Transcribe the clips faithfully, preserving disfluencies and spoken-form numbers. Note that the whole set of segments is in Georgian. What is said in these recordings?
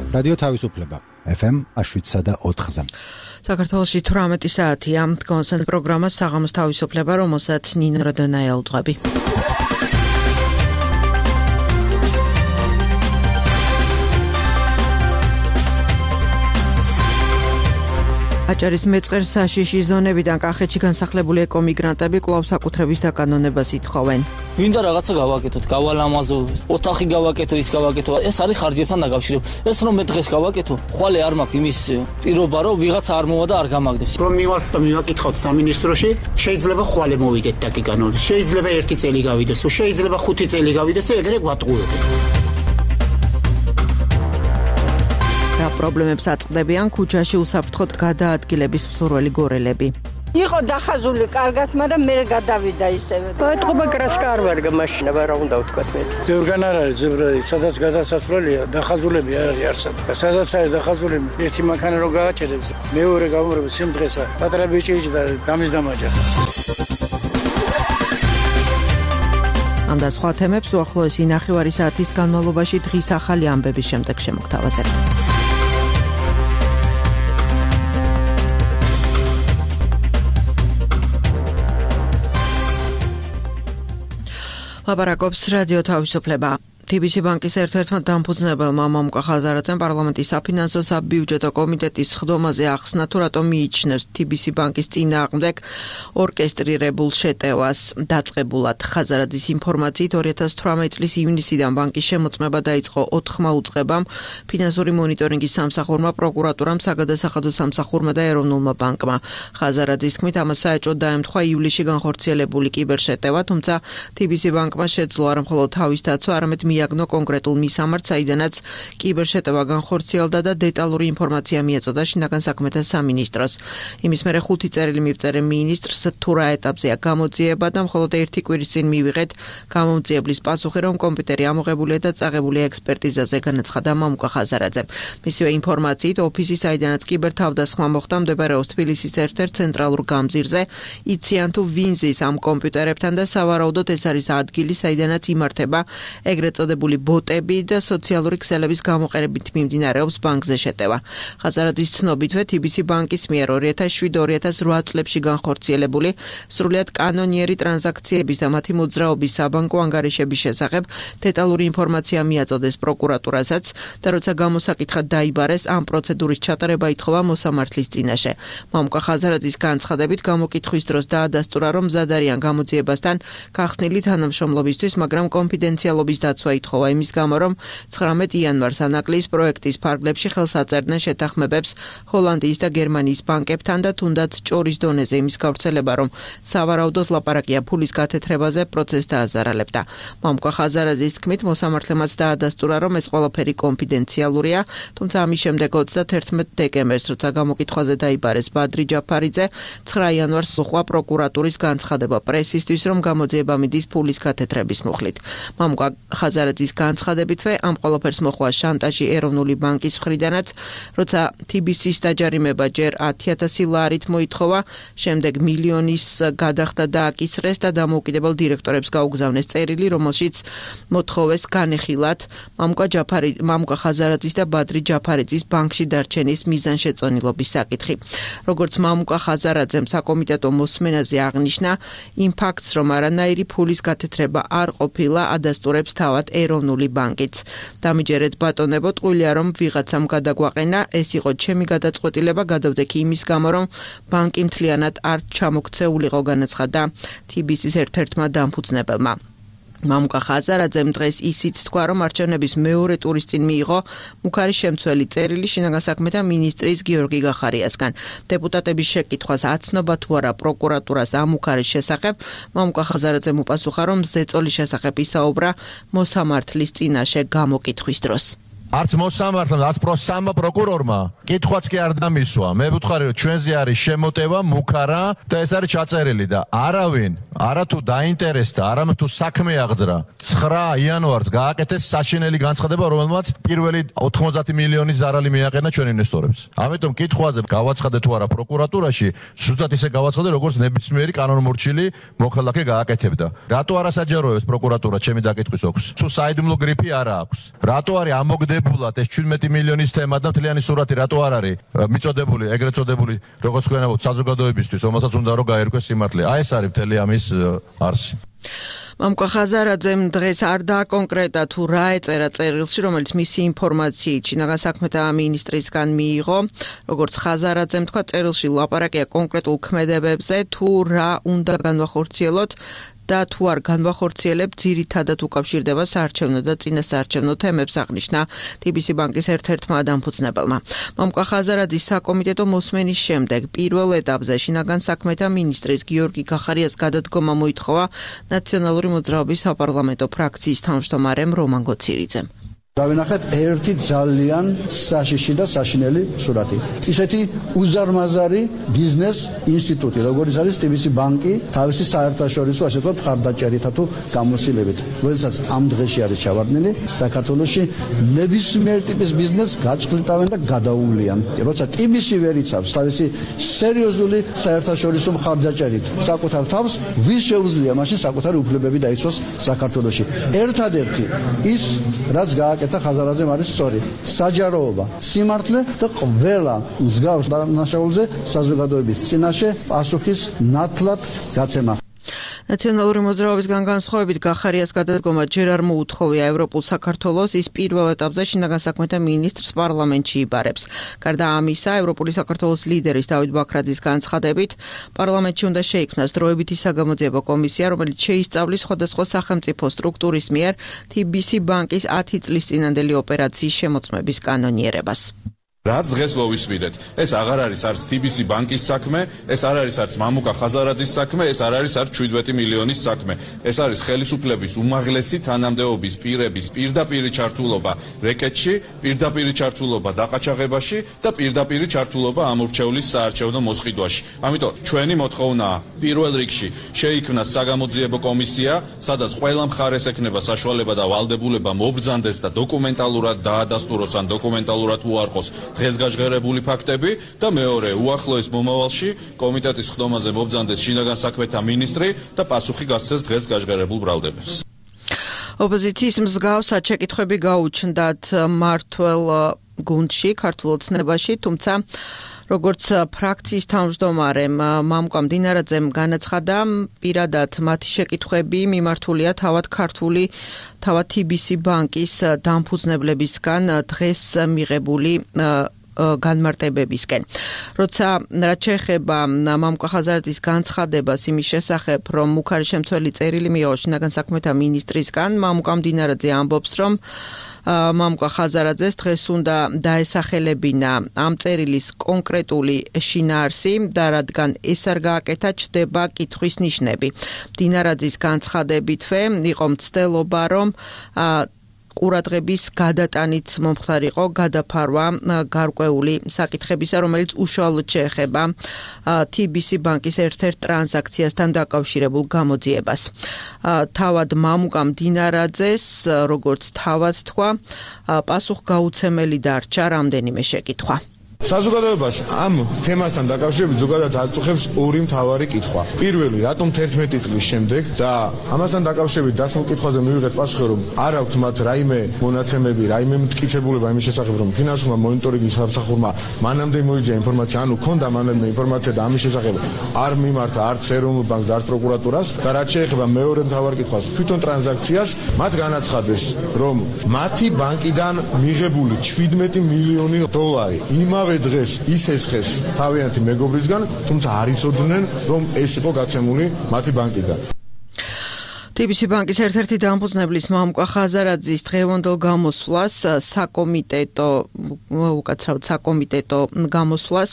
რადიო თავისუფლება ეფ ემ შვიდსა და ოთხზე. საქართველოში თვრამეტი საათია. კონსერტ პროგრამა საღამოს თავისუფლება, რომელსაც ნინო როდონაია უძღვები. აჭარის მეწყერ საშიში ზონებიდან კახეთში განსახლებული ეკომიგრანტები კვლავ საკუთრების დაკანონებას ითხოვენ. Ვინდა რაღაცა გავაკეთოთ, გავალამაზო, ოთახი გავაკეთო, ის გავაკეთო. ეს არის ხარჯებთან დაკავშირებული. ეს რომ მე დღეს გავაკეთო, ხვალე არ მაქვს იმის პირობა, რომ ვიღაცა არ მოვა და არ გამაგდებს. რომ მივართ და მივაკითხოთ სამინისტროში, შეიძლება ხვალე მოვიდეთ დაკანონებას. შეიძლება ერთი წელი გავიდეს, შეიძლება ხუთი წელი გავიდეს და ეგრე გვატყუებენ. რა პრობლემებს აწყდებიან ქუჩაში უსაფრთხოდ გადაადგილების მსურველი გორელები? იყო დახაზული კარგად, მაგრამ მე გადავიდა ისევე. ბატონობა კრასკა არ ვარ გამაშინება, რა უნდა ვთქვათ მე. ზევრგან არ არის ზევრა, სადაც გადასასვლელია, დახაზულები არ არის არსად. სადაც არის დახაზულები, ერთი მანქანა რო გააჭერებს, მეორე გამორება სიმდღესა, პატარა ბიჭი და გამის დამაჯა. ამ და სხვა თემებს უახლოესი ნახევარი საათის განმავლობაში დღის ახალი ამბების შემდეგ შემოგთავაზებ. ლაპარაკობს რადიო თავისუფლება. თი ბი სი ბანკის ერთ-ერთმა დამფუძნებელმა მამუკა ხაზარაძემ პარლამენტის საფინანსო საბიუჯეტო კომიტეტის სხდომაზე ახსნა, თუ რატომ მიიჩნევს თი ბი სი ბანკის წინააღმდეგ ორკესტრირებულ შეტევას. დაწყებულად ხაზარაძის ინფორმაციით ორი ათას თვრამეტი წლის ივნისიდან ბანკის შემოწმება დაიწყო ოთხმა უწყებამ, ფინანსური მონიტორინგის სამსახურმა, პროკურატურამ, საგადასახადო სამსახურმა და ეროვნულმა ბანკმა. ხაზარაძის თქმით, ამას საეჭვოდ დაემთხვა ივლისში განხორციელებული კიბერშეტევა, თუმცა თი ბი სი ბანკმა შეძლო არა მხოლოდ თავის დაცვა, არამედ მიაგნო კონკრეტულ მისამართს, საიდანაც კიბერშეტევა განხორციელდა და დეტალური ინფორმაცია მიეწოდა შინაგან საქმეთა სამინისტროს. იმის მერე ხუთი წერილი მივწერე მინისტრს, თუ რა ეტაპზეა გამოძიება და მხოლოდ ერთი კვირის წინ მივიღეთ გამომძიებლის პასუხი, რომ კომპიუტერი ამოღებულია და წაღებულია ექსპერტიზაზე, განაცხადა მამუკა ხაზარაძემ. მისივე ინფორმაციით, ოფისი, საიდანაც კიბერთავდასხმა მოხდა, მდებარეობს თბილისის ერთ-ერთ ცენტრალურ გამზირზე. იციან თუ ვინ ზის ამ კომპიუტერებთან და სავარაუდოდ ეს არის ადგილი, საიდანაც იმართება ეგრეთ წოდებული ბოტები და სოციალური ქსელების გამოყენებით მიმდინარეობს ბანკზე შეტევა. ხაზარაძის ცნობითვე თი ბი სი ბანკის მიერ ორი ათას შვიდ ორი ათას რვა წლებში განხორციელებული სრულიად კანონიერი ტრანზაქციების და მათი მოძრაობის საბანკო ანგარიშების შესახებ დეტალური ინფორმაცია მიაწოდეს პროკურატურასაც და როცა გამოსაკითხად დაიბარეს, ამ პროცედურის ჩატარება ითხოვა მოსამართლის წინაშე. მამუკა ხაზარაძის განცხადებით, გამოკითხვის დროს დაადასტურა, რომ მზად არიან გამოძიებასთან გახსნილი თანამშრომლობისთვის, მაგრამ კონფიდენციალობის დაცვა ითხოვა იმის გამო, რომ ცხრამეტ იანვარს ანაკლის პროექტის ფარგლებში ხელს აწერდნენ შეთანხმებებს ჰოლანდიის და გერმანიის ბანკებთან და თუნდაც ჭორის დონეზე იმის გავრცელება, რომ სავარაუდოდ ლაპარაკია ფულის გათეთრებაზე, პროცესს დააზარალებდა. მამუკა ხაზარაძის თქმით, მოსამართლემაც დაადასტურა, რომ ეს ყველაფერი კონფიდენციალურია, თუმცა ამის შემდეგ ოცდაათერთმეტ დეკემბერს, როცა გამოკითხვაზე დაიბარეს ბადრი ჯაფარიძე, ცხრა იანვარს მოხდა პროკურატურის განცხადება პრესისთვის, რომ გამოძიება მიდის ფულის გათეთრების მუხლით. მამუკა ხაზარაძის განცხადებითვე, ამ ყველაფერს მოხდა შანტაჟი ეროვნული ბანკის მხრიდანაც, როცა თი ბი სის დაჯარიმება ჯერ ათი ათასი ლარით მოითხოვა, შემდეგ მილიონის გადახდა და აკისრეს და დამოუკიდებელ დირექტორებს გაუგზავნეს წერილი, რომელშიც მოთხოვეს განეხილათ მამუკა ჯაფარი, მამუკა ხაზარაძის და ბადრი ჯაფარიძის ბანკში დარჩენის მიზანშეწონილობის საკითხი. როგორც მამუკა ხაზარაძემ საკომიტეტო მოსმენაზე აღნიშნა, იმ ფაქტს, რომ არანაირი ფულის გათეთრება არ ყოფილა, ადასტურებს თავად ეროვნული ბანკიც. დამიჯერეთ ბატონებო, ტყუილია რომ ვიღაცამ გადაგვაყენა, ეს იყო ჩემი გადაწყვეტილება, გადავდექი იმის გამო, რომ ბანკი მთლიანად არ ჩამოქცეულიყო, განაცხადა თი ბი სის ერთ-ერთმა დამფუძნებელმა. მამუკა ხაზარაძემ დღეს ისიც თქვა, რომ არჩევნების მეორე ტურის წინ მიიღო მუქარი შემცველი წერილი შინაგან საქმეთა მინისტრის გიორგი გახარიასგან. დეპუტატების შეკითხვას აცნობა თუ არა პროკურატურას ამ მუქარის შესახებ, მამუკა ხაზარაძემ უპასუხა, რომ ზეწოლის შესახებ ისაუბრა მოსამართლის წინაშე გამოკითხვის დროს. არც მოსამართლემ, არც პროსამმა პროკურორმა კითხვაც კი არ დამისვა. მე ვუთხარი, რომ ჩვენზე არის შემოტევა, მუქარა და ეს არის ჩაწერილი და არავინ, არათუ დაინტერესდა, არამედ თუ საქმე აღძრა. ცხრა იანვარს გააკეთეს საშინელი განცხადება, რომელმაც პირველი ოთხმოცდაათი მილიონის ზარალი მიაყენა ჩვენ ინვესტორებს. ამიტომ კითხვაზე გავაცხადე თუ არა პროკურატურაში, ზუსტად ისე გავაცხადე, როგორც ნებისმიერი კანონმორჩილი მოქალაქე გააკეთებდა. რატო არ ასაჯაროებს პროკურატურა ჩემი დაკითხვის ოქს? თუ საიდუმლო გრიფი არა აქვს. რატო არის ამოგდებული მიღებულად ეს შვიდმეტი მილიონის თემა და მთლიანი სურათი რატო არ არის მიწოდებული, ეგრეთ წოდებული, როგორც გვენებოთ საზოგადოებისთვის, რომელსაც უნდა რომ გაერკვეს სიმართლე. აი ეს არის მთელი ამის არსი. მამუკა ხაზარაძემ დღეს არ დააკონკრეტა თუ რა ეწერა წერილში, რომელიც მისი ინფორმაციით შინაგან საქმეთა მინისტრისგან მიიღო. როგორც ხაზარაძემ თქვა, წერილში ლაპარაკია კონკრეტულ ქმედებებზე, თუ რა უნდა განვახორციელოთ და თუ არ განვახორციელებ, ძირითადად უკავშირდება საარჩევნო და წინასაარჩევნო თემებს, აღნიშნა თბილისის ბანკის ერთ-ერთმა დამფუძნებელმა. მამუკა ხაზარაძის საკომიტეტო მოსმენის შემდეგ პირველ ეტაპზე შინაგან საქმეთა მინისტრის გიორგი გახარიას გადადგომა მოითხოვა ნაციონალური მოძრაობის საპარლამენტო ფრაქციის თავმჯდომარემ რომან გოცირიძემ. დავინახეთ ერთი ძალიან საშიში და საშინელი სურათი. ისეთი უზარმაზარი ბიზნეს ინსტიტუტი, როგორც არის თბილისის ბანკი, თავისი საერთაშორისო ასე ვთქვათ ხარდაჭერითა თუ გამოსილებით, როდესაც ამ დღეში არის ჩავარდნილი, საქართველოში ნებისმიერ ტიპის ბიზნესს გაჭყლიტავენ და გადაუვლიან. როცა თბილისი ვერ იცავს თავისი სერიოზული საერთაშორისო ხარდაჭერით საკუთარ თავს, ვის შეუძლია მაშინ საკუთარი უფლებები დაიცვას საქართველოში. ერთადერთი ის, რაც გააკეთა ხაზარაძემ არის სწორი. საჯაროობა, სიმართლე და ყველა მსგავს დანაშაულზე საზოგადოების წინაშე პასუხის ნათლად გაცემა. ნაციონალური მოძრაობისგან განსხვავებით გახარიას გადადგომა ჯერ არ მოუთხოვია ევროპულ საქართველოს, ის პირველ ეტაპზე შინაგან საქმეთა მინისტრს პარლამენტში იბარებს. გარდა ამისა, ევროპული საქართველოს ლიდერის დავით ბაქრაძის განცხადებით, პარლამენტში უნდა შეიქმნას დროებითი საგამოძიებო კომისია, რომელიც შეისწავლის სხვადასხვა სახელმწიფო სტრუქტურის მიერ თბილისის ბანკის ათი წლის წინანდელი ოპერაციის შემოწმების კანონიერებას. რაც დღეს მოვისმინეთ, ეს აღარ არის არც თბილისის ბანკის საქმე, ეს არ არის არც მამუკა ხაზარაძის საქმე, ეს არ არის არც შვიდმეტი მილიონის საქმე. ეს არის ხელისუფლების უმაღლესი თანამდებობის პირების პირდაპირი ჩართულობა რეკეტში, პირდაპირი ჩართულობა დაყაჩაღებაში და პირდაპირი ჩართულობა ამორჩევლის საარჩევნო მოსყიდვაში. ამიტომ ჩვენი მოთხოვნაა პირველ რიგში შეიქმნას საგამოძიებო კომისია, სადაც ყველა მხარეს ექნება საშუალება და ვალდებულება მობრძანდეს და დოკუმენტალურად დაადასტუროს ან დოკუმენტალურად უარყოს დღეს გაჟღერებული ფაქტები და მეორე უახლოეს მომავალში კომიტეტის ხდომაზე მობრძანდეს შინაგან საქმეთა მინისტრი და პასუხი გასცეს დღეს გაჟღერებულ ბრალდებებს. ოპოზიციის მსგავსად შეკითხვები გაუჩნდათ მმართველ გუნდში, ქართულ ოცნებაში, თუმცა როგორც ფრაქციის თავმჯდომარემ მამუკა მდინარაძემ განაცხადა, პირადად მათი შეკითხვები მიმართულია თავად ქართული თავად თბილისის ბანკის დამფუძნებლებისგან დღეს მიღებული განმარტებებისკენ. როცა რაც შეეხება მამუკა ხაზარაძის განცხადებას იმის შესახებ, რომ მუქარი შემცველი წერილი მიიღო შინაგან საქმეთა მინისტრისგან, მამუკა მდინარაძე ამბობს, რომ მამუკა ხაზარაძეს დღეს უნდა დაესახელებინა ამ წერილის კონკრეტული შინაარსი და რადგან ეს არ გააკეთა, ჩდება კითხვის ნიშნები. მდინარაძის განცხადებითვე იყო მცდელობა, რომ ყურადღების გადატანით მომხდარიყო გადაფარვა გარკვეული საკითხებისა, რომელიც უშუალოდ შეეხება თბილისის ბანკის ერთ-ერთ ტრანზაქციასთან დაკავშირებულ გამოძიებას. თავად მამუკა მდინარაძეს, როგორც თავად თქვა, პასუხგაუცემელი დარჩა რამდენიმე შეკითხვა. საზოგადოებას ამ თემასთან დაკავშირებით ზოგადად აწუხებს ორი მთავარი კითხვა. პირველი, რატომ თერთმეტი წლის შემდეგ და ამასთან დაკავშირებით დასმულ კითხვაზე მივიღეთ პასუხი, რომ არ აქვთ მათ რაიმე მონაცემები, რაიმე მტკიცებულება იმის შესახებ, რომ ფინანსურმა მონიტორინგის სამსახურმა მანამდე მოიძია ინფორმაცია, ანუ ქონდა მანამდე ინფორმაცია და ამის შესახებ არ მიმართა არც ეროვნულ ბანკს, არც პროკურატურას და რაც შეეხება მეორე მთავარ კითხვას, თვითონ ტრანზაქციას, მათ განაცხადეს, რომ მათი ბანკიდან მიღებული შვიდმეტი მილიონი დოლარი იმავე დღეს ისესხეს თავიანთი მეგობრისგან, თუმცა არ იცოდნენ, რომ ეს იყო გაცემული მათი ბანკიდან. თბილისის ბანკის ერთ-ერთი დამფუძნებლის მამუკა ხაზარაძის დღევანდელ გამოსვლას საკომიტეტო უკაცრავად საკომიტეტო გამოსვლას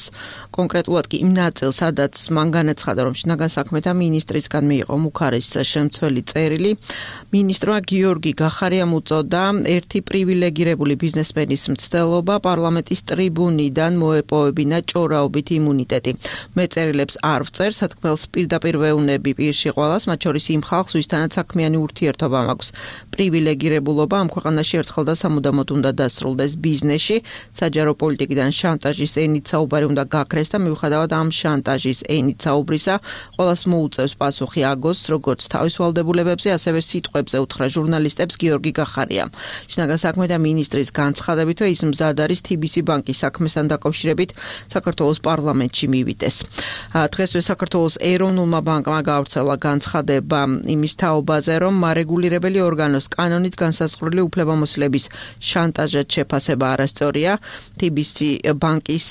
კონკრეტულად კი იმ ნაწილს, სადაც მან განაცხადა, რომ შინაგან საქმეთა მინისტრისგან მიიღო მუქარის შემცველი წერილი, მინისტრმა გიორგი გახარიამ უწოდა ერთი პრივილეგირებული ბიზნესმენის მცდელობა პარლამენტის ტრიბუნიდან მოეპოვებინა ჭორაობით იმუნიტეტი. მეწერილებს არ ვწერ, სათქმელს პირდაპირ ვეუბნები პირში ყველას, მათ შორის იმ ხალხს, ვისთანაც საქმიანი ურთიერთობა მაქვს. პრივილეგირებულობა ამ ქვეყანაში ერთხელ და სამუდამოდ უნდა დასრულდეს ბიზნესში, საჯარო პოლიტიკიდან შანტაჟის ენით საუბარი უნდა გაქრეს და მიუხედავად ამ შანტაჟის ენით საუბრისა, ყველას მოუწევს პასუხი აგოს, როგორც თავის ვალდებულებებზე, ასევე სიტყვებზე უთხრა ჟურნალისტებს გიორგი გახარიამ. შინაგან საქმეთა მინისტრის განცხადებით, ის მზად არის თბილისი ბანკის საქმესთან დაკავშირებით საქართველოს პარლამენტში მივიდეს. დღესვე საქართველოს ეროვნულმა ბანკმა გაავრცელა განცხადება იმის თაობაზე, რომ მარეგულირებელი ორგანოს კანონით განსაზღვრული უფლებამოსილების შანტაჟად შეფასება არასწორია. თბილისი ბანკის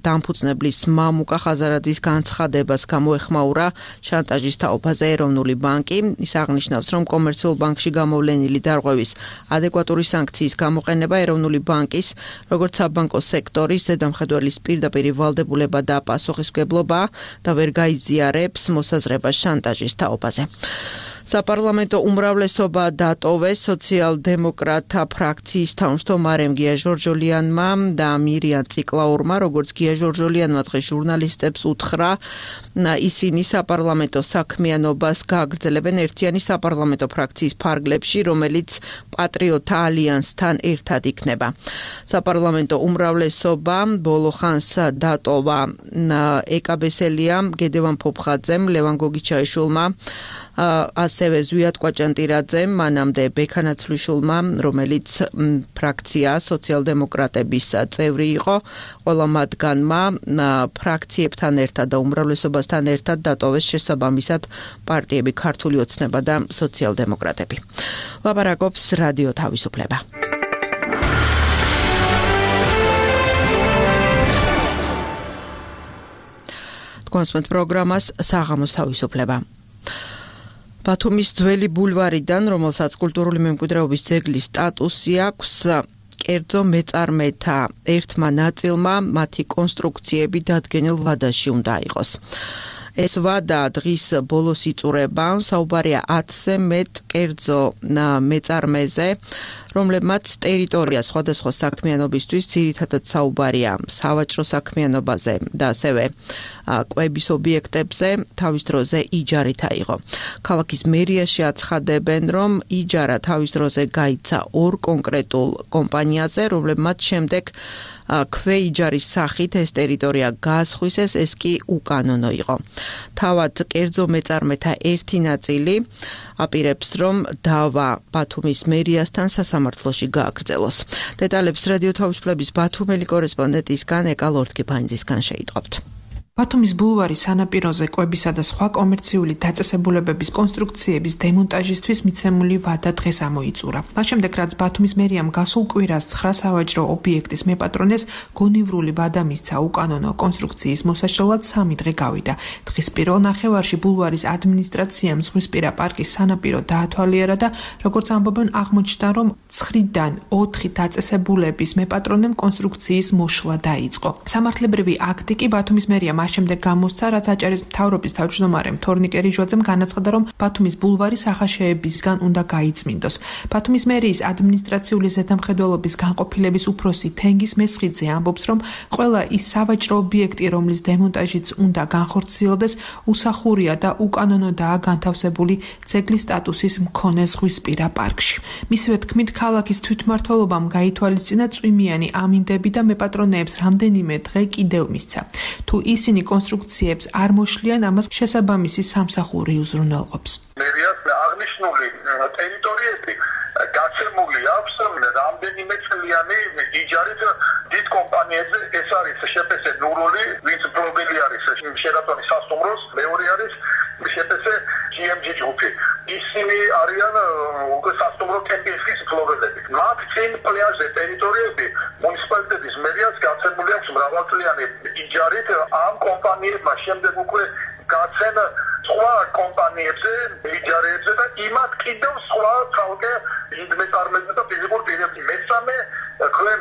დამფუძნებლის მამუკა ხაზარაძის განცხადებას გამოეხმაურა შანტაჟის თაობაზე ეროვნული ბანკი. ის აღნიშნავს, რომ კომერციულ ბანკში გამოვლენილი დარღვევის ადეკვატური სანქციის გამოყენება ეროვნული ბანკის, როგორც საბანკო სექტორის ზედამხედველის პირდაპირ ვალდებულება და პასუხისმგებლობაა და ვერ გაიზიარებს მოსაზრებას შანტაჟის თაობაზე. საპარლამენტო უმრავლესობა დატოვეს სოციალ-დემოკრატთა ფრაქციის თავმჯდომარემ გია ჟორჟოლიანმა და მირიან ციკლაურმა, როგორც გია ჟორჟოლიანმა დღეს ჟურნალისტებს უთხრა, ისინი საპარლამენტო საქმიანობას გააგრძელებენ ერთიანი საპარლამენტო ფრაქციის ფარგლებში, რომელიც პატრიოტთა ალიანსთან ერთად იქნება. საპარლამენტო უმრავლესობა ბოლო ხანს დატოვა ეკაბესელიამ, გედევან ფოფხაძემ, ლევან გოგიჩაიშვილმა, ასევე ზვიად კვაჭანტირაძემ, მანამდე ბექანაცვლიშვილმა, რომელიც ფრაქცია სოციალ-დემოკრატების წევრი იყო, ყველა მათგანმა ფრაქციებთან ერთად და უმრავლესობასთან ერთად დატოვეს შესაბამისად პარტიები ქართული ოცნება და სოციალ-დემოკრატები. ლაპარაკობს რადიო თავისუფლება. კონსმეთ პროგრამას საღამოს თავისუფლება. ბათუმის ძველი ბულვარიდან, რომელსაც კულტურული მემკვიდრეობის ძეგლის სტატუსი აქვს, კერძო მეწარმეთა ერთმა ნაწილმა მათი კონსტრუქციები დადგენილ ვადაში უნდა იყოს. ეს ვადა დღის ბოლოს იწურება, საუბარია ათზე მეტ კერძო მეწარმეზე, რომლებმაც ტერიტორია სხვადასხვა საქმიანობისთვის ძირითადად საუბარია სავაჭრო საქმიანობაზე და ასევე კვების ობიექტებზე თავის დროზე იჯარით აიღო. ქალაქის მერიაში აცხადებენ, რომ იჯარა თავის დროზე გაიცა ორ კონკრეტულ კომპანიაზე, რომლებმაც შემდეგ ქვეიჯარის სახით ეს ტერიტორია გაასხვისეს, ეს კი უკანონო იყო. თავად კერძო მეწარმეთა ერთი ნაწილი აპირებს, რომ დავა ბათუმის მერიასთან სასამართლოში გააგრძელოს. დეტალებს რადიო თავისუფლების ბათუმელი კორესპონდენტისგან ეკა ლორთქიფაინძისგან შეიტყობთ. ბათუმის ბულვარის სანაპიროზე კვებისა და სხვა კომერციული დაწესებულებების კონსტრუქციების დემონტაჟისთვის მიცემული ვადა დღეს ამოიწურა. მას შემდეგ, რაც ბათუმის მერიამ გასულ კვირას ცხრა სავაჭრო ობიექტის მეპატრონეს გონივრული ვადა მისცა უკანონო კონსტრუქციის მოსაშლელად სამი დღე გავიდა. დღის პირველ ნახევარში ბულვარის ადმინისტრაციამ ზღვისპირა პარკის სანაპირო დაათვალიერა და როგორც ამბობენ, აღმოჩნდა, რომ ცხრიდან ოთხი დაწესებულების მეპატრონემ კონსტრუქციის მოშლა დაიწყო. სამართლებრივი აქტი კი ბათუმის მერიამ მას შემდეგ გამოსცა, რაც აჭარის მთავრობის თავმჯდომარემ თორნიკე რიჟვაძემ განაცხადა, რომ ბათუმის ბულვარი სახაშეებისგან უნდა გაიწმინდოს. ბათუმის მერიის ადმინისტრაციული ზედამხედველობის განყოფილების უფროსი თენგის მესხიძე ამბობს, რომ ყველა ის სავაჭრო ობიექტი, რომლის დემონტაჟიც უნდა განხორციელდეს, უსახურია და უკანონოდაა განთავსებული ძეგლის სტატუსის მქონე ზღვისპირა პარკში. მისივე თქმით, ქალაქის თვითმმართველობამ გაითვალისწინა წვიმიანი ამინდები და მეპატრონეებს რამდენიმე დღე კიდევ მისცა. თუ ისინი კონსტრუქციებს არ მოშლიან, ამას შესაბამისი სამსახური უზრუნველყოფს. მერიას აღნიშნული ტერიტორიები გაცემული აქვს რამდენიმე წლიანი იჯარით დიდ კომპანიებზე. ეს არის შეპესე ნურული, ვინც პრობილი არის შერატონის სასტუმროს, მეორე არის შეპესე ჯი ემ ჯი ჯგუფი. ისინი არიან უკვე სასტუმრო კემპინგის ფლორელები. მათ წინ პლაჟზე ტერიტორიები მუნიციპალიტეტის მერიას გაცემული აქვს მრავალწლიანი იჯარით. ამ კომპანიებმა შემდეგ უკვე გაცენ სხვა კომპანიებზე, იჯარებზე და იმათ კიდევ სხვა ცალკე მეწარმეებზე და ფიზიკურ პირებზე. მესამე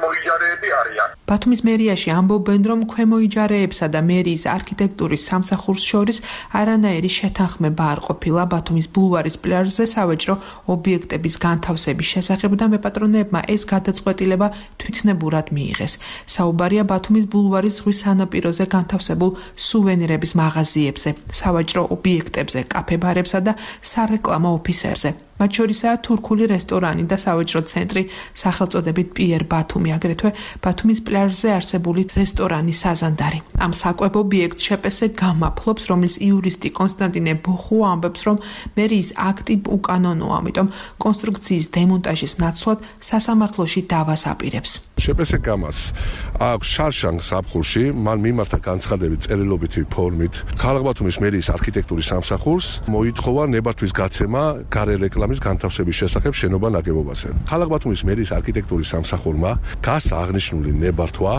მოიჯარეები არიან. ბათუმის მერიაში ამბობენ, რომ ქვემოიჯარეებსა და მერიის არქიტექტურის სამსახურს შორის არანაირი შეთანხმება არ ყოფილა ბათუმის ბულვარის პლაჟზე სავაჭრო ობიექტების განთავსების შესახებ და მეპატრონეებმა ეს გადაწყვეტილება თვითნებურად მიიღეს. საუბარია ბათუმის ბულვარის ზღვის სანაპიროზე განთავსებულ სუვენირების მაღაზიებზე, სავაჭრო ობიექტებზე, კაფე-ბარებსა და სარეკლამო ოფისებზე. მათ შორისაა თურქული რესტორანი და სავაჭრო ცენტრი სახელწოდებით პიერ ბათუმი, აგრეთვე ბათუმის პლაჟზე არსებული რესტორანი საზანდარი. ამ საკვებ ობიექტს შეპესე გამაფლობს, რომლის იურისტი კონსტანტინე ბოხუ ამბობს, რომ მერიის აქტი უკანონოა, ამიტომ კონსტრუქციის დემონტაჟის ნაცვლად სასამართლოში დავას აპირებს. შეპესე გამას აქვს შარშანგ საფხულში, მან მიმართა განცხადებით წერილობითი ფორმით ქალაქ ბათუმის მერიის არქიტექტურის სამსახურს, მოითხოვა ნებართვის გაცემა გარე რეკლამის განთავსების შესახებ შენობა ნაგებობაზე. ქალაქ ბათუმის მერიის არქიტექტურის სამსახურმა გასა აღნიშნული ნებართვა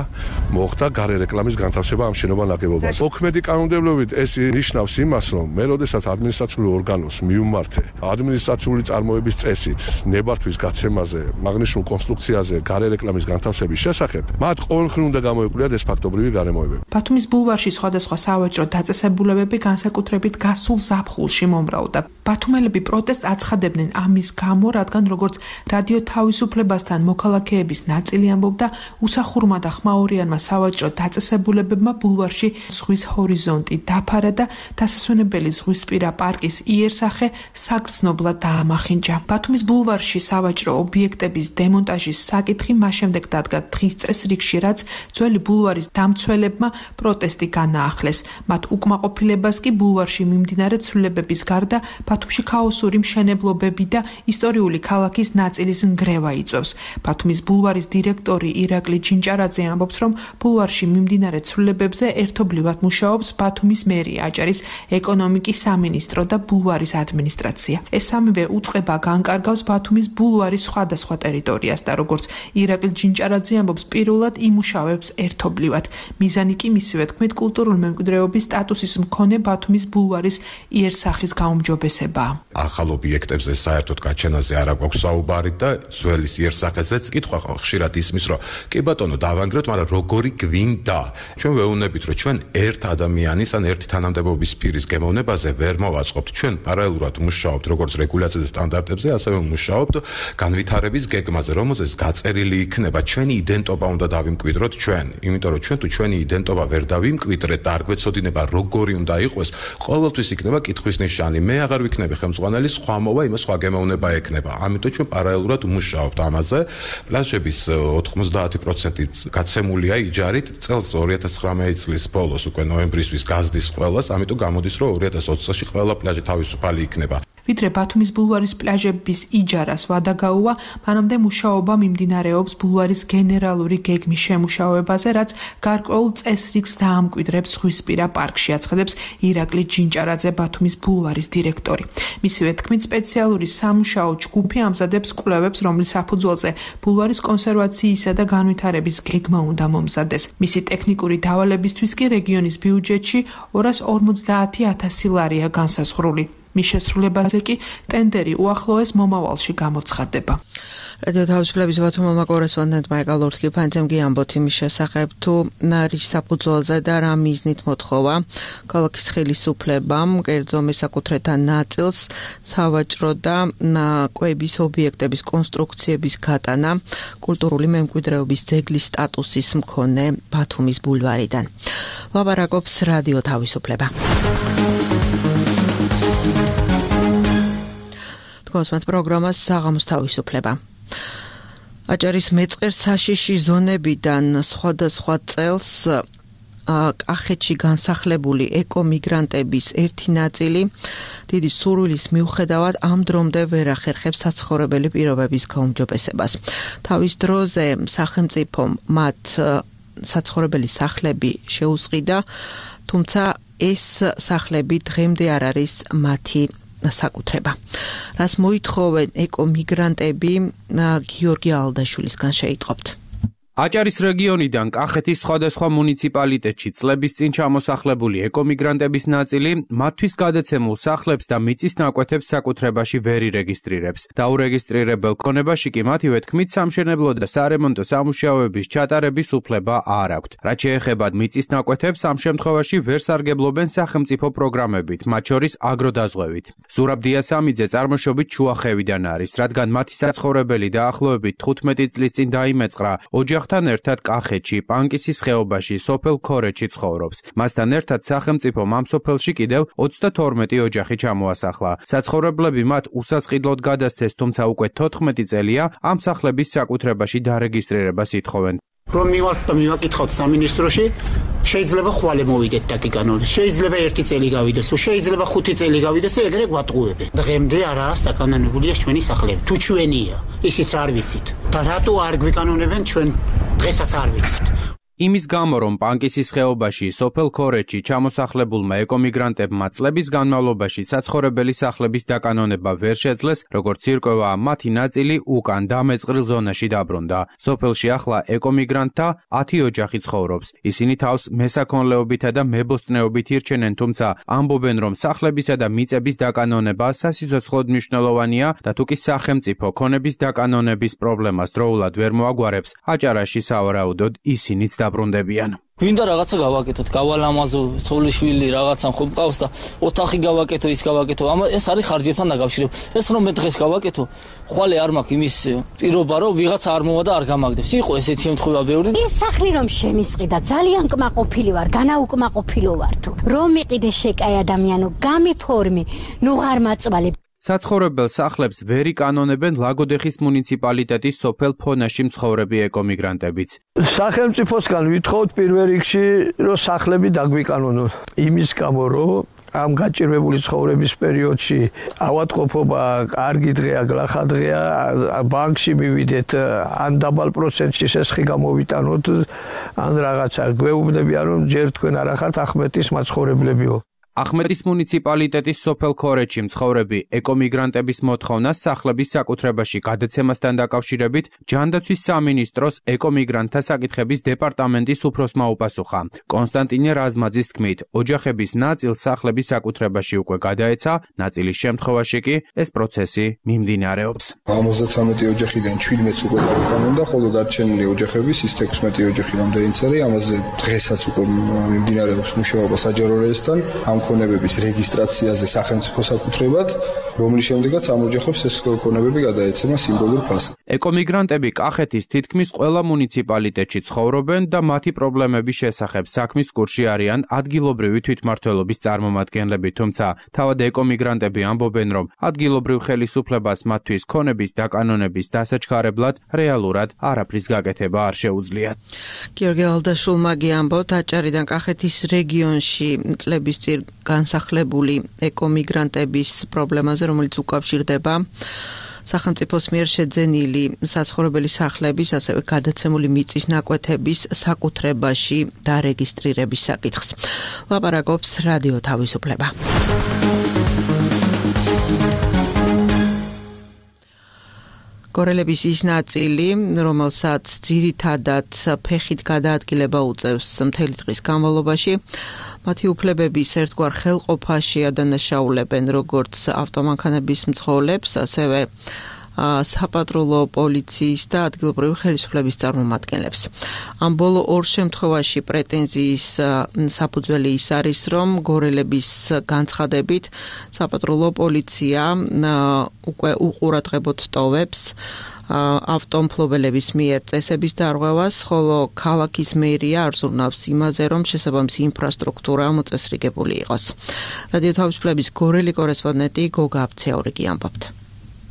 მოხდა გარე რეკლამის განთავსება ამ შენობა ნაგებობაზე. მოქმედი კანონმდებლობით ეს ნიშნავს იმას, რომ მე როდესაც ადმინისტრაციული ორგანოს მიუმართე ადმინისტრაციული წარმოების წესით ნებართვის გაცემაზე, აღნიშნულ კონსტრუქციაზე გარე რეკლამის განთავსების შესახებ, მათ ყოველხრივ უნდა გამოეკვლიათ ეს ფაქტობრივი გარემოებები. ბათუმის ბულვარში სხვადასხვა სავაჭრო დაწესებულებები განსაკუთრებით გასულ ზაფხულში მომრავლდა. ბათუმელები პროტესტს აცხადებდნენ ამის გამო, რადგან როგორც რადიო თავისუფლებასთან მოქალაქეების ნაწილი ამბობდა, უსახურმა და ხმაურიანმა სავაჭრო დაწესებულებებმა ბულვარში ზღვის ჰორიზონტი დაფარა და დასასვენებელი ზღვისპირა პარკის იერსახე საგრძნობლად დაამახინჯა. ბათუმის ბულვარში სავაჭრო ობიექტების დემონტაჟის საკითხი მას შემდეგ დადგა დღის წესრიგში, რაც ძველი ბულვარის დამცველებმა პროტესტი განაახლეს. მათ უკმაყოფილებას კი ბულვარში მიმდინარე ცვლილებების გარდა ბათუმში ქაოსური მშენებლობები და ისტორიული ქალაქის ნაწილის ნგრევა იწვევს. ბათუმის ბულვარის დირექტორი ირაკლი ჩინჭარაძე ამბობს, რომ ბულვარში მიმდინარე ცვლილებებზე ერთობლივად მუშაობს ბათუმის მერია, აჭარის ეკონომიკის სამინისტრო და ბულვარის ადმინისტრაცია. ეს სამივე უწყება განკარგავს ბათუმის ბულვარის სხვადასხვა ტერიტორიას და როგორც ირაკლი ჩინჭარაძე ამბობს, პირველად იმუშავებს ერთობლივად. მიზანი კი მისივე თქმით კულტურული მემკვიდრეობის სტატუსის მქონე ბათუმის ბულვარის იერსახის გაუმჯობესებაა. ახალ ობიექტებზე საერთოდ გაჩენაზე არ აქვს საუბარი და ძველის იერსახეზეც კითხვა ხშირად ისმის, რომ კი ბატონო დავანგრეთ, მაგრამ როგორი გვინდა? ჩვენ ვეუბნებით, რომ ჩვენ ერთ ადამიანის ან ერთი თანამდებობის პირის გემოვნებაზე ვერ მოვაწყობთ. ჩვენ პარალელურად მუშაობთ როგორც რეგულაციაზე სტანდარტებზე, ასევე მუშაობთ განვითარების გეგმაზე, რომელზეც გაწერილი იქნება ჩვენი იდენტობა უნდა დავიმკვიდროთ ჩვენ. იმიტომ რომ ჩვენ თუ ჩვენი იდენტობა ვერ დავიმკვიდრეთ და არ გვეცოდინება როგორი უნდა იყოს, ყოველთვის იქნება კითხვის ნიშანი. მე აღარ ვიქნები ხელმძღვანელი, სხვა მოვა, იმას სხვა გემოვნება ექნება. ამიტომ ჩვენ პარალელურად მუშაობთ ამაზე. პლაჟების ოთხმოცდაათი პროცენტი გაცემულია იჯარით წელს ორი ათას ცხრამეტი წლის ბოლოს უკვე ნოემბრისთვის გაზდის ყველას, ამიტომ გამოდის რომ ორი ათას ოცი წელში ყველა პლაჟი თავისუფალი იქნება. ვიდრე ბათუმის ბულვარის პლაჟების იჯარას ვადა გაუვა, მანამდე მუშაობა მიმდინარეობს ბულვარის გენერალური გეგმის შემუშავებაზე, რაც გარკვეულ წესრიგს დაამკვიდრებს ზღვისპირა პარკში, აცხადებს ირაკლი ჩინჭარაძე, ბათუმის ბულვარის დირექტორი. მისივე თქმით, სპეციალური სამუშაო ჯგუფი ამზადებს კვლევებს, რომლის საფუძველზე ბულვარის კონსერვაციისა და განვითარების გეგმა უნდა მომზადეს. მისი ტექნიკური დავალებისთვის კი რეგიონის ბიუჯეტში ორას ორმოცდაათი ათასი ლარია განსაზღვრული. მის შესრულებაზე კი ტენდერი უახლოეს მომავალში გამოცხადდება. რადიო თავისუფლების ბათუმელმა კორესპონდენტმა ეკალორთკი ფანძემ გიამბოთ იმის შესახებ, თუ რის საფუძველზე და რა მიზნით მოთხოვა ქალაქის ხელისუფლებამ კერძო მესაკუთრეთა ნაწილს სავაჭრო და კვების ობიექტების კონსტრუქციების გატანა კულტურული მემკვიდრეობის ძეგლის სტატუსის მქონე ბათუმის ბულვარიდან. ლაპარაკობს რადიო თავისუფლება. კოსმოს პროგრამას საღამოს თავისუფლება. აჭარის მეწყერ საშიში ზონებიდან სხვადასხვა წელს კახეთში განსახლებული ეკომიგრანტების ერთი ნაწილი დიდი სურვილის მიუხედავად ამ დრომდე ვერ ახერხებს საცხოვრებელი პირობების გაუმჯობესებას. თავის დროზე სახელმწიფომ მათ საცხოვრებელი სახლები შეუსყიდა, თუმცა ეს სახლები დღემდე არ არის მათი საკუთრება. რას მოითხოვენ ეკომიგრანტები, გიორგი ალდაშვილისგან შეიტყობთ. აჭარის რეგიონიდან კახეთის სხვადასხვა მუნიციპალიტეტში წლების წინ ჩამოსახლებული ეკომიგრანტების ნაწილი მათთვის გადაცემულ სახლებს და მიწის ნაკვეთებს საკუთრებაში ვერ ირეგისტრირებს. დაურეგისტრირებელ ქონებაში კი მათივე თქმით სამშენებლო და სარემონტო სამუშაოების ჩატარების უფლება არ აქვთ. რაც შეეხება მიწის ნაკვეთებს, ამ შემთხვევაში ვერ სარგებლობენ სახელმწიფო პროგრამებით, მათ შორის აგროდაზღვევით. ზურაბ დიასამიძე წარმოშობით ჩუახევიდან არის, რადგან მათი საცხოვრებელი დაახლოებით თხუთმეტი წლის წინ დაიმეწყრა ოჯახ თან ერთად კახეთში, პანკისის ხეობაში, სოფელ ქორეთში ცხოვრობს. მასთან ერთად სახელმწიფომ ამ სოფელში კიდევ ოცდათორმეტი ოჯახი ჩამოასახლა. საცხოვრებლები მათ უსასყიდლოდ გადასცეს, თუმცა უკვე თოთხმეტი წელია ამ სახლების საკუთრებაში დარეგისტრირებას ითხოვენ. რომ მივართ და მივაკითხოთ სამინისტროში, შეიძლება ხვალე მოვიდეთ დაგიგანოთ. შეიძლება ერთი წელი გავიდეს, შეიძლება ხუთი წელი გავიდეს და ეგრე გვატყუებენ. დღემდე არაა დაკანონებულია ჩვენი სახლები. თუ ჩვენია, ისიც არ ვიცით. და რატო არ გვიკანონებენ ჩვენ დღესაც არ ვიცით. იმის გამო, რომ პანკისის ხეობაში, სოფელ ქორეთში ჩამოსახლებულმა ეკომიგრანტებმა წლების განმავლობაში საცხოვრებელი სახლების დაკანონება ვერ შეძლეს, როგორც ირკვევა, მათი ნაწილი უკან დამეწყრილ ზონაში დაბრუნდა. სოფელში ახლა ეკომიგრანტთა ათი ოჯახი ცხოვრობს. ისინი თავს მესაქონლეობითა და მებოსტნეობით ირჩენენ, თუმცა ამბობენ, რომ სახლებისა და მიწების დაკანონება სასიცოცხლოდ მნიშვნელოვანია და თუკი სახელმწიფო ქონების დაკანონების პრობლემას დროულად ვერ მოაგვარებს, აჭარაში სავარაუდოდ ისინიც დაბრუნდებიან. გვინდა რაღაცა გავაკეთოთ, გავალამაზო, ცოლიშვილი რაღაცა ხო მყავს და ოთახი გავაკეთო, ის გავაკეთო. ამა ეს არის ხარჯებთან დაკავშირებული. ეს რომ მე დღეს გავაკეთო, ხვალე არ მაქვს იმის პირობა, რომ ვიღაცა არ მოვა და არ გამაგდებს. იყო ესეთი შემთხვევა ბევრი. ეს სახლი რომ შემისყიდა, ძალიან კმაყოფილი ვარ, განაუკმაყოფილო ვარ თუ. რომ მიყიდე შეკაი ადამიანო, გამიფორმი, ნუ ღარ მაწვალე. საცხოვრებელ სახლებს ვერ იკანონებენ ლაგოდეხის მუნიციპალიტეტის სოფელ ფონაში მცხოვრები ეკომიგრანტებიც. სახელმწიფოსგან ვითხოვთ პირველ რიგში, რომ სახლები დაგვიკანონონ. იმის გამო, რომ ამ გაჭირვებული ცხოვრების პერიოდში ავადმყოფობა, კარგი დღეა, გლახა დღეა, ბანკში მივიდეთ, ან დაბალ პროცენტში სესხი გამოვიტანოთ, ან რაღაცა გვეუბნებიან, რომ ჯერ თქვენ არ ახართ ახმეტის მაცხოვრებლებიო. ახმეტის მუნიციპალიტეტის სოფელ ქორეთში მცხოვრები ეკომიგრანტების მოთხოვნას სახლების საკუთრებაში გადაცემასთან დაკავშირებით ჯანდაცვის სამინისტროს ეკომიგრანტთა საკითხების დეპარტამენტის უფროსმა უპასუხა. კონსტანტინე რაზმაძის თქმით, ოჯახების ნაწილს სახლების საკუთრებაში უკვე გადაეცა, ნაწილის შემთხვევაში კი ეს პროცესი მიმდინარეობს. ორმოცდათვრამეტი ოჯახიდან შვიდმეტს უკვე დაუკანონდა, ხოლო დარჩენილი ოჯახების ის თექვსმეტი ოჯახი რამდენიც არის, ამაზე დღესაც უკვე მიმდინარეობს მუშაობა საჯარო რეესტრთან. ქონებების რეგისტრაციაზე სახელმწიფო საკუთრებად, რომლის შემდეგაც ამ ოჯახებს ეს ქონებები გადაეცემა სიმბოლურ ფასად. ეკომიგრანტები კახეთის თითქმის ყველა მუნიციპალიტეტში ცხოვრობენ და მათი პრობლემების შესახებ საქმის კურსში არიან ადგილობრივი თვითმმართველობის წარმომადგენლები, თუმცა თავად ეკომიგრანტები ამბობენ, რომ ადგილობრივ ხელისუფლებას მათთვის ქონების დაკანონების დასაჩქარებლად რეალურად არაფრის გაკეთება არ შეუძლიათ. გიორგი ალდაშულმა ამბობთ, აჭარიდან კახეთის რეგიონში წლების წინ განსახლებული ეკომიგრანტების პრობლემაზე, რომელიც უკავშირდება სახელმწიფოს მიერ შეძენილი საცხოვრებელი სახლების, ასევე გადაცემული მიწის ნაკვეთების საკუთრებაში დარეგისტრირების საკითხს. ლაპარაკობს რადიო თავისუფლება. გორელების ის ნაწილი, რომელსაც ძირითადად ფეხით გადაადგილება უწევს მთელი დღის განმავლობაში, მათი უფლებების ერთგვარ ხელყოფაში ადანაშაულებენ როგორც ავტომანქანების მძღოლებს, ასევე საპატრულო პოლიციის და ადგილობრივი ხელისუფლების წარმომადგენლებს. ამ ბოლო ორ შემთხვევაში პრეტენზიის საფუძველი ის არის, რომ გორელების განცხადებით საპატრულო პოლიცია უკვე უყურადღებოდ ტოვებს ავტომფლობელების მიერ წესების დარღვევას, ხოლო ქალაქის მერია არ ზრუნავს იმაზე, რომ შესაბამისი ინფრასტრუქტურა მოწესრიგებული იყოს. რადიო თავისუფლების გორელი კორესპონდენტი გოგა აფცეორიგი ამბობთ.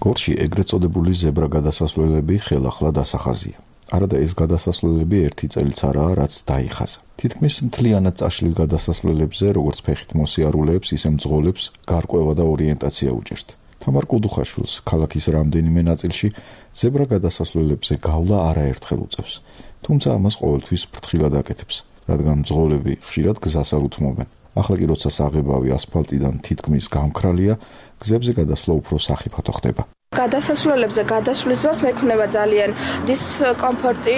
გორში ეგრეთ წოდებული ზებრა გადასასვლელები ხელახლა დასახაზია. არადა ეს გადასასვლელები ერთი წელიც არაა, რაც დაიხაზა. თითქმის მთლიანად წაშლილ გადასასვლელებზე, როგორც ფეხით მოსიარულეებს, ისე მძღოლებს გარკვევა და ორიენტაცია უჭერთ. თამარ კუდუხაშვილს ქალაქის რამდენიმე ნაწილში ზებრა გადასასვლელებზე გავლა არაერთხელ უწევს. თუმცა ამას ყოველთვის ფრთხილად აკეთებს, რადგან მძღოლები ხშირად გზას არ უთმობენ. ახლა კი როცა საღებავი ასფალტიდან თითქმის გამქრალია, გზებზე გადასვლა უფრო სახიფათო ხდება. გადასასვლელებზე გადასვლის დროს მექნება ძალიან დისკომფორტი,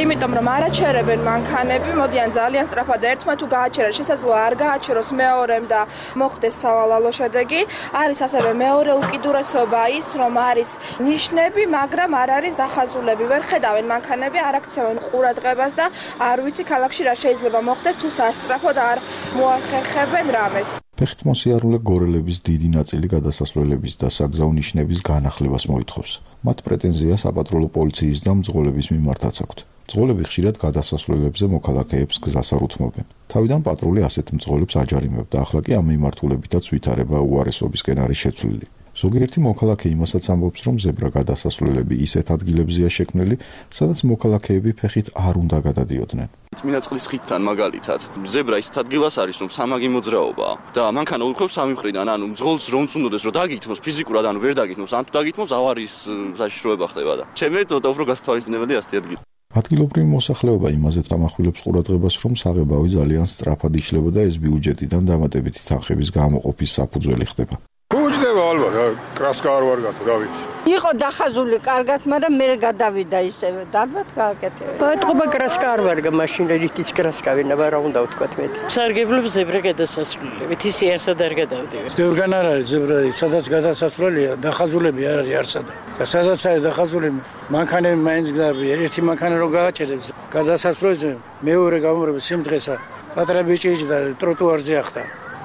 იმიტომ რომ არაჩერებენ მანქანები, მოდიან ძალიან სწრაფად და ერთმა თუ გააჩერა, შესაძლოა არ გააჩეროს მეორემ და მოხდეს სავალალო შედეგი. არის ასევე მეორე უკიდურესობა ის, რომ არის ნიშნები, მაგრამ არ არის დახაზულები. ვერ ხედავენ მანქანები, არ აქცევენ ყურადღებას და არ ვიცი ქალაქში რა შეიძლება მოხდეს თუ სასწრაფოდ არ მოახერხებენ რამეს. ფეხით მოსიარულე გორელების დიდი ნაწილი გადასასვლელების და საგზაო ნიშნების განახლებას მოითხოვს. მათ პრეტენზია საპატრულო პოლიციის და მძღოლების მიმართაც აქვთ. მძღოლები ხშირად გადასასვლელებზე მოქალაქეებს გზას არ უთმობენ. თავიდან პატრული ასეთ მძღოლებს აჯარიმებდა, ახლა კი ამ მიმართულებითაც ვითარება უარესობისკენ არის შეცვლილი. ზოგიერთი მოქალაქე იმასაც ამბობს, რომ ზებრა გადასასვლელები ისეთ ადგილებზეა შექმნილი, სადაც მოქალაქეები ფეხით არ უნდა გადადიოდნენ. წმინდა წყლის ხიდთან მაგალითად ზებრა ისეთ ადგილას არის, რომ სამაგი მოძრაობაა და მანქანა უხევს სამი მხრიდან, ანუ მძღოლს რომც უნდადეს, რომ დაგითმოს ფიზიკურად, ანუ ვერ დაგითმოს, ან თუ დაგითმოს ავარიის საშიშროება ხდება და ჩემი ცოტა უფრო გასათვალისწინებელი ასეთი ადგილი. ადგილობრივი მოსახლეობა იმაზეც ამახვილებს ყურადღებას, რომ საღებავი ძალიან სწრაფად იშლება და ეს ბიუჯეტიდან დამატებითი თანხების გამოყოფის საფუძველი ხდება. უჯდება ალბათ, კრასკა არ ვარ გათო, რა ვიცი. იყო დახაზული კარგად, მაგრამ მე გადავიდა ისევე. ალბათ გააკეთე. ბატონობა კრასკა არ ვარ მაშინ რითიც კრასკა ვინა რა უნდა ვთქვათ მე. სარგებლობს ზებრა გადასასვლელებით, ის არსად არ გადავდივარ. ბევრგან არ არის ზებრა, სადაც გადასასვლელია, დახაზულები არ არის არსად. და სადაც არის დახაზული მანქანები მაინც გდაბია, ერთი მანქანა რო გააჩერებს გადასასვლელზე, მეორე გამომრები სიმდღესა, პატარა ბიჭი და ტროტუარზე ახტა.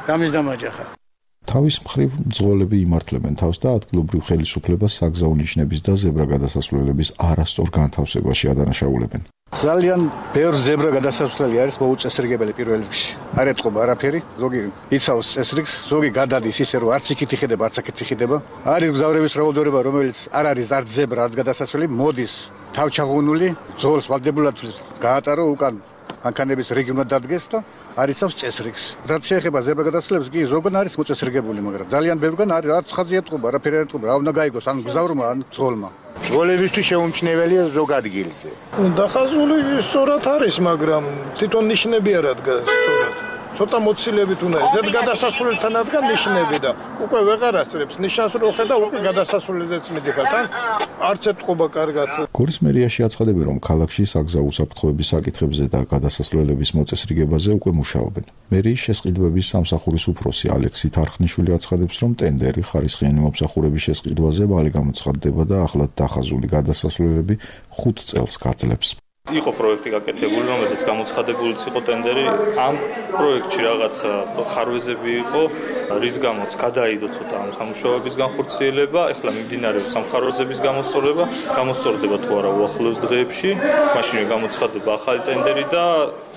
რამის დამაჯახა. თავის მხრივ მძღოლები იმართლებენ თავს და ადგილობრივ ხელისუფლებას საგზაო ნიშნების და ზებრა გადასასვლელების არასწორ განთავსებაში ადანაშაულებენ. ძალიან ბევრ ზებრა გადასასვლელი არის მოუწესრიგებელი პირველ რიგში. არ ეთყობა არაფერი, ზოგი იცავს წესრიგს, ზოგი გადადის ისე რომ არც იქით იხდება, არც აქეთ იხდება. არის მგზავრების რაოდენობა, რომელიც არ არის არც ზებრა, არც გადასასვლელი, მოდის თავჩაღუნული, ძღოლს ვალდებულად გაატარო უკან მანქანების რიგი უნდა დადგეს და არიცავს წესრიგს. რაც შეეხება ზებრა გადასასვლელებს, კი ზოგან არის მოწესრიგებული, მაგრამ ძალიან ბევრგან არის არც ხაზი ეთყობა, არაფერი არ ეთყობა, რა უნდა გაიგოს ან მგზავრმა, ან ძღოლმა. ძღოლებისთვის შეუმჩნეველია ზოგ ადგილზე. დახაზული სწორად არის, მაგრამ თვითონ ნიშნები არ ადგას სწორად. ცოტა მოცილებით უნდა ზედ გადასასვლელთან ადგან ნიშნები და უკვე ვეღარ ასწრებს ნიშანს რო ხედა უკვე გადასასვლელზეც მიდიხარ თან არც ეთყობა კარგად. გორის მერიაში აცხადებენ, რომ ქალაქში საგზაო უსაფრთხოების საკითხებზე და გადასასვლელების მოწესრიგებაზე უკვე მუშაობენ. მერიის შესყიდვების სამსახურის უფროსი ალექსი თარხნიშვილი აცხადებს, რომ ტენდერი ხარისხიანი მომსახურების შესყიდვაზე მალე გამოცხადდება და ახლად დახაზული გადასასვლელები ხუთ წელს გაძლებს. იყო პროექტი გაკეთებული, რომელზეც გამოცხადებულიც იყო ტენდერი. ამ პროექტში რაღაცა ხარვეზები იყო, რის გამოც გადაიდო ცოტა ამ სამუშაოების განხორციელება. ეხლა მიმდინარეობს სამხარვეზების გამოსწორება, გამოსწორდება თუ არა უახლოეს დღეებში. მაშინვე გამოცხადდება ახალი ტენდერი და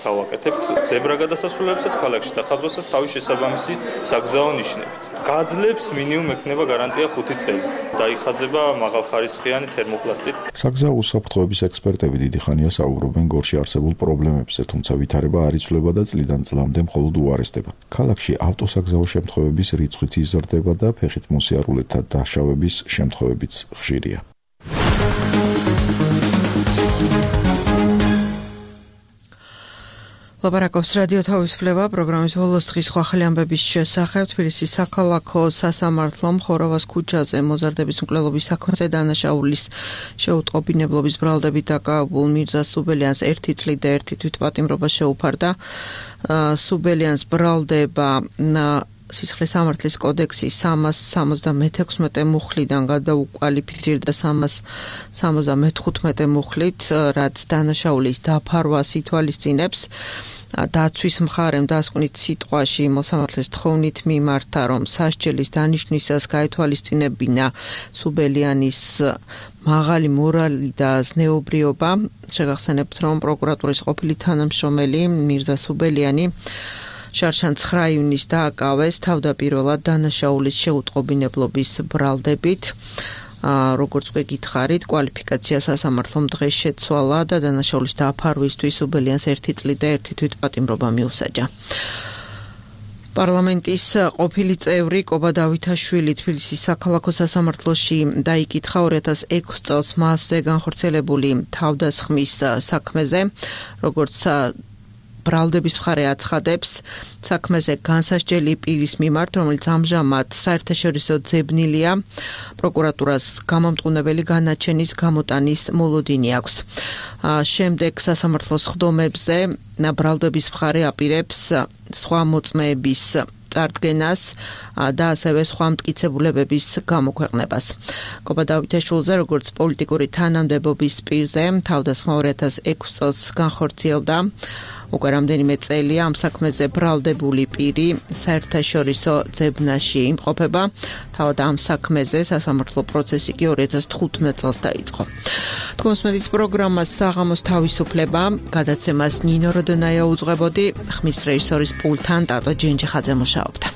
გავაკეთებთ ზებრა გადასასვლელებსაც ქალაქში და ხაზვასაც თავის შესაბამისი საგზაო ნიშნებით. გაძლებს მინიმუმ ექნება გარანტია ხუთი წელი. დაიხაზება მაღალხარისხიანი თერმოპლასტით. საგზაო უსაფრთხოების ექსპერტები დიდი ხანია საუბრობენ გორში არსებულ პრობლემებზე, თუმცა ვითარება არ იცვლება და წლიდან წლამდე მხოლოდ უარესდება. ქალაქში ავტოსაგზაო შემთხვევების რიცხვიც იზრდება და ფეხით მოსიარულეთა დაშავების შემთხვევებიც ხშირია. ლაპარაკობს რადიო თავისუფლება პროგრამის ბოლოს დღის სხვა ახალი ამბების შესახებ. თბილისის საქალაქო სასამართლომ ხოროვას ქუჩაზე მოზარდების მკვლელობის საქმეზე დანაშაულის შეუტყობინებლობის ბრალდებით დაკავებულ მირზა სუბელიანს ერთი წლით და ერთი თვითპატიმრობა შეუფარდა. სუბელიანს ბრალდება სისხლის სამართლის კოდექსის სამას სამოცდამეექვსმეტე მუხლიდან გადაუკვალიფიცირდა სამას სამოცდამეთხუთმეტე მუხლით, რაც დანაშაულის დაფარვას ითვალისწინებს. დაცვის მხარემ დასკვნით სიტყვაში მოსამართლეს თხოვნით მიმართა, რომ სასჯელის დანიშნვისას გაითვალისწინებინა სუბელიანის მაღალი მორალი და ზნეობრიობა. შეგახსენებთ, რომ პროკურატურის ყოფილი თანამშრომელი მირზა სუბელიანი შარშან ცხრა ივნისს დააკავეს თავდაპირველად დანაშაულის შეუტყობინებლობის ბრალდებით. როგორც უკვე გითხარით, კვალიფიკაცია სასამართლომ დღეს შეცვალა და დანაშაულის დაფარვისთვის სუბელიანს ერთი წლით და ერთი თვითპატიმრობა მიუსაჯა. პარლამენტის ყოფილი წევრი კობა დავითაშვილი თბილისის საქალაქო სასამართლოში დაიკითხა ორი ათას ექვსი წელს მასზე განხორციელებული თავდასხმის საქმეზე, როგორც ბრალდების მხარე აცხადებს საქმეზე განსასჯელი პირის მიმართ, რომელიც ამჟამად საერთაშორისო ძებნილია, პროკურატურას გამომტყუნებელი განაჩენის გამოტანის მოლოდინი აქვს. შემდეგ სასამართლოს ხდომებზე ბრალდების მხარე აპირებს სხვა მოწმეების წარდგენას და ასევე სხვა მტკიცებულებების გამოქვეყნებას. კობა დავითაშვილზე, როგორც პოლიტიკური თანამდებობის პირზე, თავდასხმა ორი ათას ექვსი წელს განხორციელდა. უკვე რამდენიმე წელია ამ საქმეზე ბრალდებული პირი საერთაშორისო ძებნაში იმყოფება. თავად ამ საქმეზე სასამართლო პროცესი კი ორი ათას თხუთმეტ წელს დაიწყო. თქვენს მედიის პროგრამას საღამოს თავისუფლება, გადაცემას ნინო როდონაია უძღვებოდი, ხმის რეჟისორის პულტთან ტატო ჯენჯიხაძე მუშაობდა.